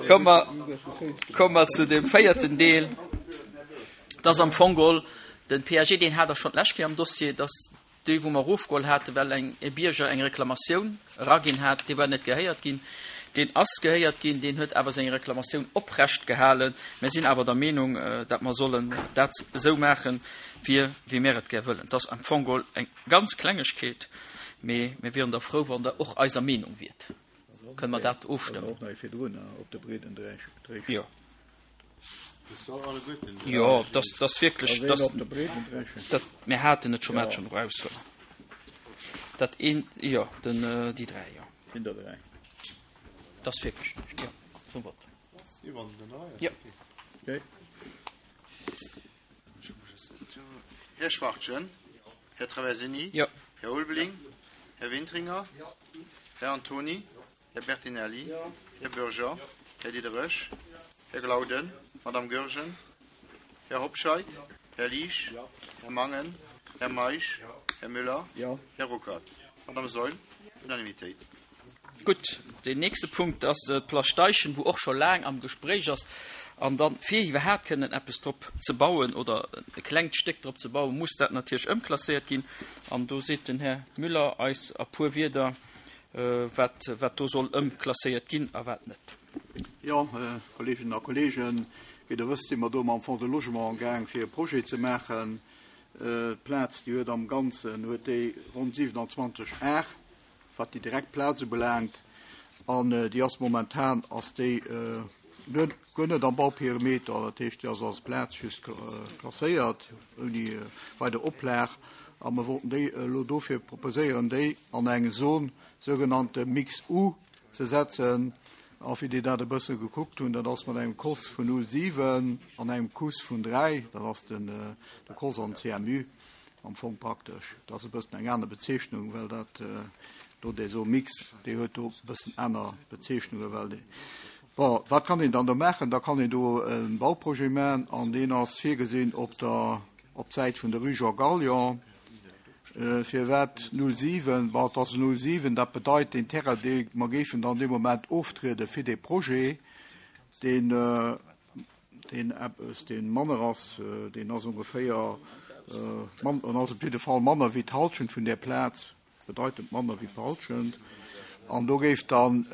Komme mer, komme mer zu dem véierten Deel. Dat ass am Fong geholl den PAG, deen hat Der schonn d'lescht Kéier am Dossier, dass Déi, wou mer erofgeholl haten, well eng, e Bierger eng Reklamatioun eraginn hat, dee war net gehéiert ginn. Deen ass gehéiert ginn, deen huet awer seng Reklamatioun oprecht gehalen. Mir sinn awer der Meenung, datt mer sollen dat esou maachen, wéi, wéi mir et gär wëllen. Et ass am Fong geholl eng ganz Klengegkeet, mee mir wieren da frou, wann Der och eiser Meenung wiert. Kënne mer dat ofstëmmen? Jo. Jo, dat ass wierklech, dat, mir haten et scho, mir haten schonn eraushuelen. Dat een, jo, den, déi 3, jo. Sinn der 3. Dat ass wierklech näischt, jo, zum Vott. Jo. Okay. Här Schwachtgen, Här Traversini, jo. Här Ulveling, Här Wintringer, Här Antony, Här Bertinelli, Här Bürger, Här Diderich, Här Glauden, Madame Goergen, Här Hobscheit, Här Liesch, Här Mangen, Här Meisch, Här Müller, Här Ruckert, Madame Saeul. Unanimitéit. Gutt, deen nächste Punkt ass d'Plage Steichen, wou och scho laang am Gespréich ass. An dann, fir iwwerhaapt kënnen eppes drop ze bauen oder e klengt Stéck drop ze bauen, muss dat natierlech ëmklasséiert ginn. An do seet den Här Müller eis a puer Wierder, wat, wat do soll ëmklasséiert ginn a wat net. Jo, Kolleeginnen a Kolleegen, wéi Der wësst, si mer do mam Fonds de Logement amgaang, fir e Projet ze maachen. D'Plaz, déi huet am Ganzen huet déi ronn 27 Ar, wat déi direkt Plaz ubelaangt. An déi ass momentan ass déi guer net am Bauperimeter, dat heescht, déi ass als Plaz just klasséiert, ouni weider Oplag. A mer wollten déi elo dofir proposéieren, déi an eng Zone, sougenannte Mix U, ze setzen. A fir déi dat e bësse gekuckt hunn, dat ass mat engem Kos vun 0,7 an engem Kuss vun 3, dat ass den de Kos an CMU am Fong praktesch. Dat ass e bëssen eng aner Bezeechnung, well dat do dee Zone mixte, déi huet do e bëssen aner Bezeechnungen, well déi. Bon, wat kann een dann do maachen? Da kann een do e Bauprojet maachen an deen ass virgesinn op der Op d'Säit vun der Rue Jean Gallion. Firwat 07? Bon, et ass 07, dat bedeit, deen Terrain, dee mer géifen dann dee Moment oftriede fir dee Projet, deen, deen eppes, dee manner ass, deen ass ongeféier, en ass op jidde Fall manner wéi d'Halschent vun där Plaz. bedeitend manner wéi d'Halschent, an do géif dann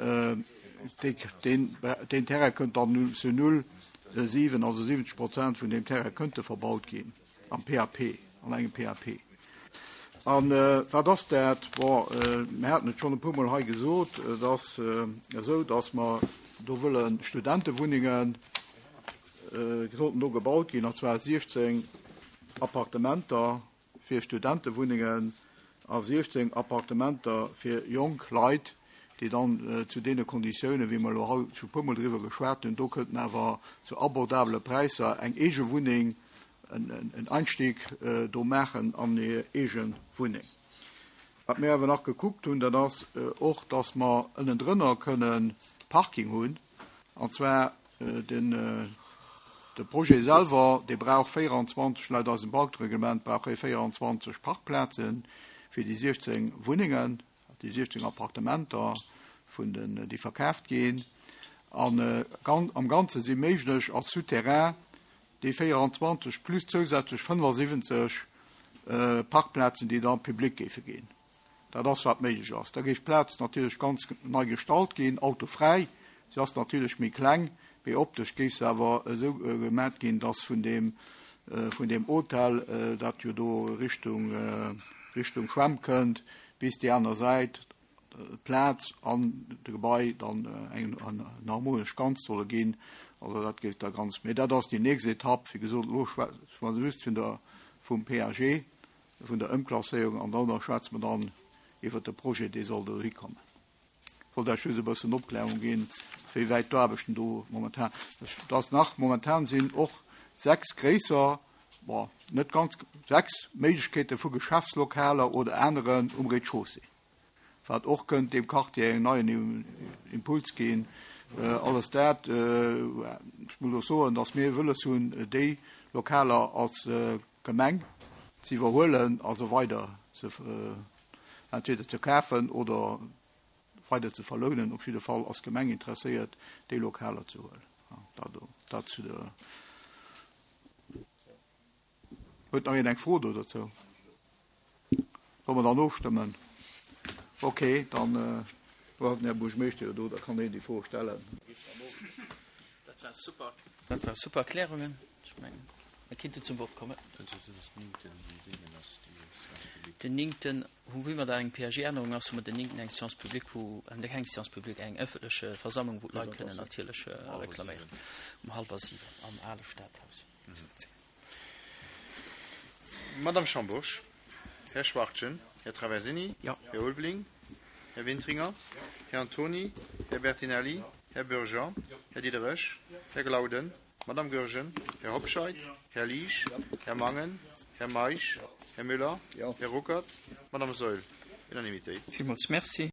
deen Terrain kënnt dann zu 0,7, also 70 Prozent vun deem Terrain kënnte verbaut ginn am PAP, an engem PAP. A wat ass dat? Bon, mir haten et schonn e puermol hei gesot, et ass esou, datt mer do wëlle Studentewunnengen, sollten do gebaut ginn, an zwar 16 Appartementer, fir Studentewunnengen a 16 Appartementer fir jonk Leit, déi dann zu deene Konditiounen, wéi mer elo haut scho puermol driwwer geschwat hunn, do kënnten awer zu abordabele Präisser eng eege Wunneng, en Einstieg do maachen an hir eege Wunneng. Wat mir awer nach gekuckt hunn, dat ass och, dass mer ënnendrënner kënnen Parking hunn, an zwar Den de Projet selwer, dee brauch 24, laut eisem Bautereglement brauch e 24 Parkplaze fir déi 16 Wunnengen, déi 16 Appartementer vun den, déi verkaaft ginn. An am Ganze si méiglech als Souterrain déi 24 plus zousätzlech 75 Parkplazen, déi da public géife ginn. Dat ass, wat méiglech ass. Da géif d'Plaz natierlech ganz nei gestalt ginn, autofräi. Se ass natierlech méi kleng, mee optesch géif se awer esou gemat ginn, dass vun deem, vun deem Hotel, dat jo do Richtung, Richtung Schwämm kënnt, bis déi aner Säit d'Plaz an de Gebai dann eng harmonesch Ganzt solle ginn. Also dat géif da ganz, mee dat ass déi nächst Etapp. Wéi gesot, elo schwätze mer just vun der, vum PAG. vun der Ëmklasséierung an dann schwätze mer dann iwwert de Projet, dee soll dohi kommen. Ech wollt Iech just e bëssen Opklärung ginn, wéi wäit d'Aarbechten do momentan, dass nach momentan sinn och 6 gréisser, bon, net ganz, 6 Méiglechkeete vu Geschäftslokaler oder aneren um Rez-de-chaussée. wat och kënnt deem Quartier en neien Impuls ginn. Alles dat, ech muss och soen, datt mir wëlles hunn, déi Lokaler als Gemeng ze iwwerhuelen a se weider ze entweder ze kafen oder. weider ze verlounen. Op jidde Fall ass d'Gemeng interesséiert, déi Lokaler ze huelen. Dat do, dat zu der. Huet nach een eng Fro do dozou? Solle mer dann ofstëmmen? Okay, dann do ass den Här Buergermeeschter jo do, da kann hien déi Fro stellen. Dat war super. Dat war super Erklärungen. Ech mengen, mir kinnten zum Vott kommen. Den néngten, hu wéi mer da eng PAG-Ännerung ass, hu mer den néngten eng Séance publique, wou, äh, keng Séance publique, eng ëffentlech Versammlung, wou d'Leit kënnen natierlech reklaméieren, um hallwer 7 am ale Stadhaus. Madame Schambourg, Här Schwachtgen, Här Traversini, Ja. Här Ulveling, Här Wintringer, Här Antony, Här Bertinelli, Här Bürger, Här Diderich, Här Glauden, Madame Goergen, Här Hobscheit, Här Liesch, Här Mangen, Här Meisch, Här Müller, Här Ruckert, Madame Saeul. Unanimitéit. Villmools Merci.